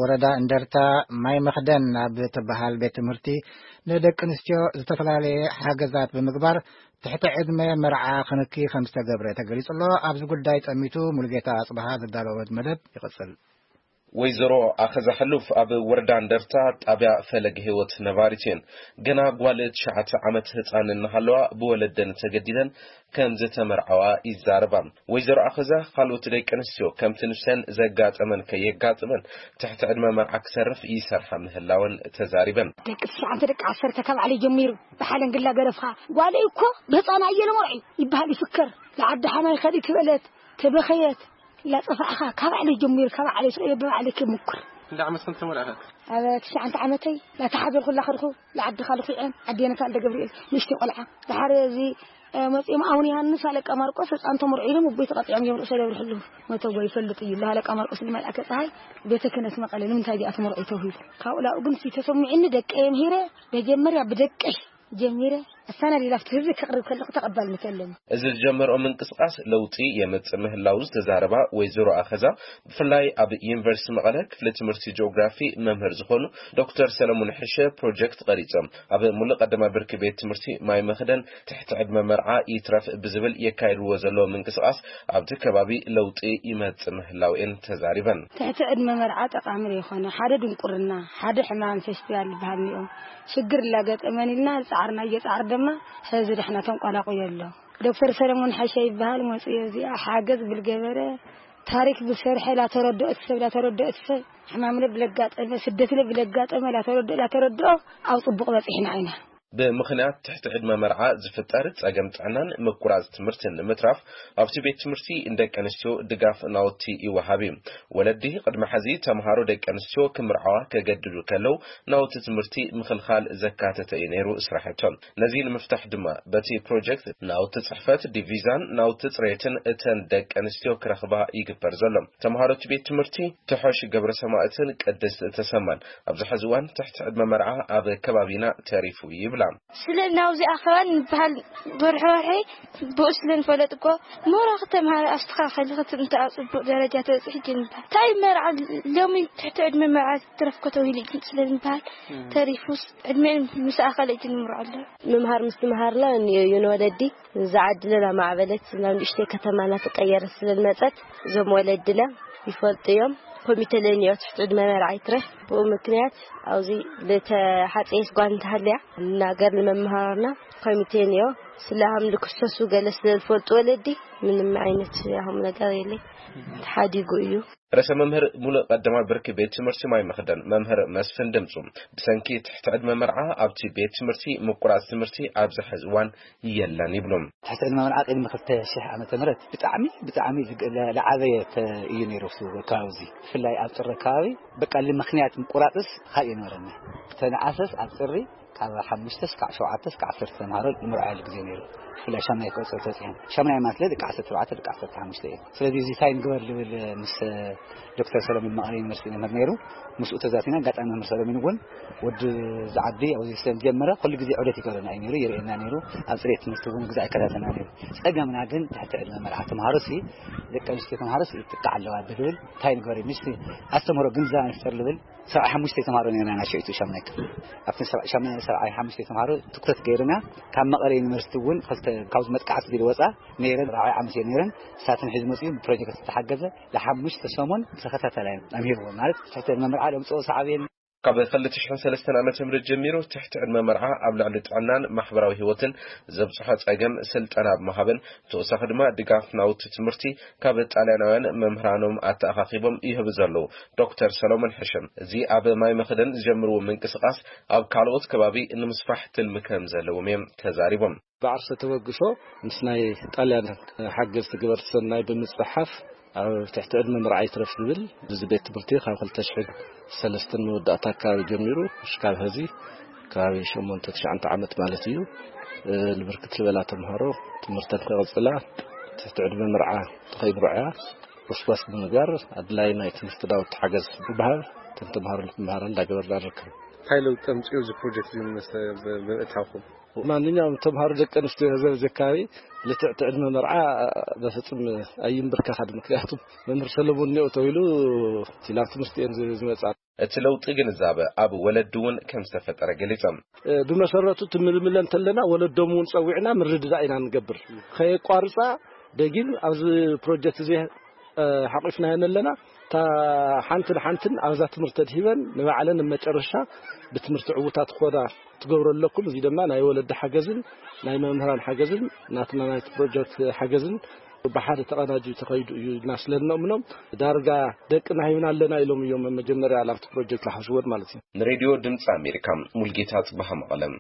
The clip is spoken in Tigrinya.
ወረዳ እንደርታ ማይ መኽደን ኣብ ትበሃል ቤት ትምህርቲ ንደቂ ኣንስትዮ ዝተፈላለየ ሓገዛት ብምግባር ትሕቲ ዕድመ መርዓ ክንኪ ከም ዝተገብረ ተገሊጹ ኣሎ። ኣብዚ ጉዳይ ጠሚቱ ሙሉጌታ ኣጽብሃ ዘዳለወት መደብ ይቕጽል። ወይዘሮ ኣኸዛ ሕሉፍ ኣብ ወረዳ እንደርታ ጣብያ ፈለግ ህይወት ነባሪት እየን። ገና ጓል ትሽዓተ ዓመት ህፃን እናሃለዋ ብወለደን ተገዲደን ከም ዝተመርዓዋ ይዛረባ። ወይዘሮ ኣኸዛ ካልኦት ደቂ ኣንስትዮ ከምቲ ንሰን ዘጋጠመን ከየጋጥመን ትሕቲ ዕድመ መርዓ ክሰርፍ ይሰርሓ ምህላወን ተዛሪበን። ደቂ ትሽዓተ ደቂ ዓሰርተ ካብ ዓለይ ጀሚሩ ብሓለንግላ ገረፍኻ ጓለይ እኮ ብህፃና እየ ለመርዑ ይበሃል ይፍከር። ንዓዲ ሓማይ ከሊእ ትበለት ተበኸየት ኢላ ጸፋዕኻ ካብ ዓለይ ጀሚሩ ካብ ዓለይ ስለ ብባዕለይ ክምኩር። እንዳ ዓመት ከም ተመርዓኻ? ኣብ ትሽዓተ ዓመተይ ላተሓዘልኩላ ከድኹ። ንዓዲ ካልኩ ዕን ዓዴነ ካልደ ገብርኤል ንእሽተይ ቆልዓ። ድሓር እዚ መጺኦም ኣቡነ ዮሃንስ ኣለቃ ማርቆስ ህፃን ተመርዒ ኢሎም እቦይ ተቐጢዖም እዮም ርእሰ ደብርሕሉ። መተጎ ይፈልጥ እዩ ለሃለቃ ማርቆስ ንመልኣከ ፀሃይ ቤተ ክህነት መቐለ ንምንታይ ዲኣ ተመርዒ ተውሂሉ። ካብኡ ላኡ ግን ተሰሚዕኒ ደቀ የምሂረ መጀመርያ ብደቀይ ጀሚረ ኣሳና ሌላ ኣብቲ ህዝቢ ከቕርብ ከለኹ ተቐባልነት የለን። እዚ ዝጀመርኦ ምንቅስቃስ ለውጢ የምጽእ ምህላው ዝተዛረባ ወይዘሮ ኣኸዛ ብፍላይ ኣብ ዩኒቨርሲቲ መቐለ ክፍሊ ትምህርቲ ጂኦግራፊ መምህር ዝኾኑ ዶክተር ሰለሙን ሕሸ ፕሮጀክት ቀሪጾም ኣብ ሙሉእ ቀዳማይ ብርኪ ቤት ትምህርቲ ማይ መኽደን ትሕቲ ዕድመ መርዓ ይትረፍ ብዝብል የካይድዎ ዘለዎ ምንቅስቃስ ኣብቲ ከባቢ ለውጢ ይመጽእ ምህላው እየን ተዛሪበን። ትሕቲ ዕድመ መርዓ ጠቃሚ ዶ ይኾነ ሓደ ድንቁርና ሓደ ሕማም ፌስቲቫል ዝበሃል እኒኦም ሽግር ላገጠመን ኢልና ፃዕርና እየፃዕር ድማ ሕዚ ደሕና ተንቋላቁ የሎ። ዶክተር ሰለሞን ሓሻ ይበሃል መፅዮ እዚኣ ሓገዝ ብልገበረ ታሪክ ብሰርሐ ላተረድኦት ሰብ ላተረድኦት ሰብ ሕማምለ ብለጋጠመ ስደትለ ብለጋጠመ ላተረድኦ ላተረድኦ ኣብ ፅቡቅ በፂሕና ኢና። ብምኽንያት ትሕቲ ዕድመ መርዓ ዝፍጠር ጸገም ጥዕናን ምቁራጽ ትምህርትን ንምትራፍ ኣብቲ ቤት ትምህርቲ ንደቂ ኣንስትዮ ድጋፍ ናውቲ ይወሃብ እዩ። ወለዲ ቅድሚ ሕዚ ተምሃሮ ደቂ ኣንስትዮ ክምርዓዋ ከገድዱ ከለው ናውቲ ትምህርቲ ምኽልኻል ዘካተተ እዩ ነይሩ ስራሕቶም። ነዚ ንምፍታሕ ድማ በቲ ፕሮጀክት ናውቲ ጽሕፈት ዲቪዛን ናውቲ ጽሬትን እተን ደቂ ኣንስትዮ ክረኽባ ይግበር ዘሎ። ተምሃሮ እቲ ቤት ትምህርቲ ትሖሽ ገብረ ሰማእትን ቅድስት ተሰማን ኣብዚ ሕዚ እዋን ትሕቲ ዕድመ መርዓ ኣብ ከባቢና ተሪፉ ይብላ። ስለ ናብዚ ኣኸባን ንበሃል ወርሒ ወርሒ ብኡ ስለ ንፈለጥ እኮ ሞራ ክተምሃረ ኣስተኻኸሊ ክትምንተ ኣብ ጽቡቕ ደረጃ ተበጽሒ ጅንባ እንታይ መርዓ ሎሚ ትሕቲ ዕድመ መርዓ ትረፍኮ ተባሂሉ ግን ስለ ንበሃል ተሪፉስ ዕድሜን ምስ ኣኸለ ጅንምሮ ኣሎ። ምምሃር ምስ ትምሃርና ንዮ ዩን ወለዲ ዝዓድለና ማዕበለት ናብ ንእሽተይ ከተማና ትቀየረ ስለ ዝመጸት እዞም ወለድና ይፈልጡ እዮም። ኮሚተ ለኒዮ ትሕቲ ዕድመ መርዓ ይትረፍ ብኡ ምክንያት ኣብዚ ለተሓፀየት ጓል እንተሃልያ እናገር ንመምሃርና ኮሚቴ ንዮ ስለ ሃም ልክሰሱ ገለ ስለ ዝፈልጡ ወለዲ ምንም ዓይነት ያሁም ነገር የለይ ተሓዲጉ እዩ። ርእሰ መምህር ሙሉእ ቀዳማይ ብርኪ ቤት ትምህርቲ ማይ መኽደን መምህር መስፍን ድምፁ ብሰንኪ ትሕቲ ዕድመ መርዓ ኣብቲ ቤት ትምህርቲ ምቁራፅ ትምህርቲ ኣብዚ ሕዚ እዋን የለን ይብሉ። ትሕቲ ዕድመ መርዓ ቅድሚ ክልተ ሽሕ ዓመተ ምህረት ብጣዕሚ ብጣዕሚ ዝግ- ለ- ለዓበየ ተ- እዩ ነይሩ እሱ ከባቢ እዚ ብፍላይ ኣብ ጥሪ ከባቢ በቃ ምክንያት ምቁራፅስ ካብ የነበረና ተነኣሰስ ኣብ ጥሪ ካብ ሓሙሽተ እስካዕ ሸውዓተ እስካዕ ዓሰርተ ተምሃሮ ንምርዓሉ ግዜ ነይሩ። ብፍላይ ሻምናይ ክቆፅር ተፅዮም ሻምናይ ማለት ደቂ ዓሰርተ ኣርባዕተ ደቂ ዓሰርተ ሓሙሽተ እዮም። ስለዚ እዚ እንታይ ንግበር ዝብል ምስ ዶክተር ሰለሙን መቐለ ዩኒቨርሲቲ መምህር ነይሩ። ምስኡ ተዛቲና ኣጋጣሚ መምህር ሰለሙን እውን ወዲ ዝዓቢ ኣብዚ ስለ ጀመረ ኩሉ ግዜ ዑደት ይገብረና እዩ ነይሩ ይርእየና ነይሩ። ኣብ ፅሬት ትምህርቲ እውን ግዜ ኣይከታተልና ነይሩ። ፀገምና ግን ትሕቲ ዕድመ መርዓ ተምሃሮ ሲ ደቂ ኣንስትዮ ተምሃሮ ሲ ይጥቃዕ ኣለዋ ብዝብል እንታይ ንግበር እዩ ምስ ኣስተምህሮ ግንዛበ ንፍጠር ዝብል ሰብዓይ ሓሙሽተ ተምሃሮ ነይርና ናይ ሽዑ ሻምናይ ክፍሊ ኣብቲ ሰብዓይ ሓሙሽተ ተምሃሮ ትኩረት ገይርና ካብ መቐለ ዩኒቨርሲቲ እውን ክልተ ካብዚ መጥቃዕቲ ዝብል ወፃ ነይረን ራብዓይ ዓመት እየ ነይረን እሳተን ሒዝ መፅኡ ብፕሮጀክት ዝተሓገዘ ለሓሙሽተ ሰሙን ተኸታተላይ ኣምሂርዎ ማለት ትሕቲ ዕድመ መርዓ ለምፅኦ ሰዓብየን ካብ ክልተ ሽሕን ሰለስተን ዓመተ ምህረት ጀሚሩ ትሕቲ ዕድመ መርዓ ኣብ ልዕሊ ጥዕናን ማሕበራዊ ህይወትን ዘብፅሖ ፀገም ስልጠና ብምሃብን ብተወሳኺ ድማ ድጋፍ ናውቲ ትምህርቲ ካብ ጣልያናውያን መምህራኖም ኣተኣኻኺቦም ይህቡ ዘለዉ ዶክተር ሰሎሞን ሕሽም እዚ ኣብ ማይ መኽደን ዝጀምርዎ ምንቅስቃስ ኣብ ካልኦት ከባቢ ንምስፋሕ ትልሚ ከም ዘለዎም እዮም ተዛሪቦም። ብዓርሰ ተበግሶ ምስ ናይ ጣልያን ሓገዝቲ ገበርቲ ሰናይ ብምጽሓፍ ኣብ ትሕቲ ዕድመ ምርዓይ ትረፍ ዝብል እዚ ቤት ትምህርቲ ካብ ክልተ ሽሕን ሰለስተን መወዳእታ ኣካባቢ ጀሚሩ ክሳብ ሐዚ ከባቢ ሸሞንተ ትሽዓተ ዓመት ማለት እዩ። እ፣ ንብርክት ዝበላ ተምሃሮ ትምህርተን ከቐጽላ ትሕቲ ዕድመ ምርዓ ተኸይምርዓያ ወስዋስ ብምግባር ኣድላይ ናይ ትምህርቲ ዳውቲ ሓገዝ ብምሃብ እተን ተምሃሮ ንክምሃራ እንዳገበርና ንርከብ። እንታይ ለውጢ ኣምፅኡ እዚ ፕሮጀክት እዚ ምስ ብ- ብምእታውኩም? ማንኛውም ተምሃሮ ደቂ ኣንስትዮ ዘዚ ከባቢ ልትዕቲ ዕድመ መርዓ በፍጹም ኣይንብርከኻን። ምክንያቱም መምህር ሰለሞን ኒኦ ተባሂሉ እቲ ናብ ትምህርቲ እየን ዝ- ዝመጻ። እቲ ለውጢ ግንዛበ ኣብ ወለዲ እውን ከም ዝተፈጠረ ገሊጾም። ብመሰረቱ ትምልምለ እንተለና ወለዶም እውን ጸዊዕና ምርድዳእ ኢና ንገብር። ከየቋርጻ ደጊም ኣብዚ ፕሮጀክት እዚ ሓቂፍናየን ኣለና። እታ ሓንትን ሓንትን ኣብዛ ትምህርቲ ተድሂበን ንባዕለን መጨረሻ ብትምህርቲ ዕውታት ክኾና ትገብሮ ኣለኩም። እዚ ድማ ናይ ወለዲ ሓገዝን ናይ መምህራን ሓገዝን ናትና ናይቲ ፕሮጀክት ሓገዝን ብሓደ ተቐናጁ ተኸይዱ እዩ ኢልና ስለ እንእምኖም ዳርጋ ደቅና ሂብና ኣለና ኢሎም እዮም መጀመርያ ናብቲ ፕሮጀክት ዝሓስቦን ማለት እዩ። ንሬድዮ ድምፂ ኣሜሪካ ሙልጌታ ጽባሃ መቐለም።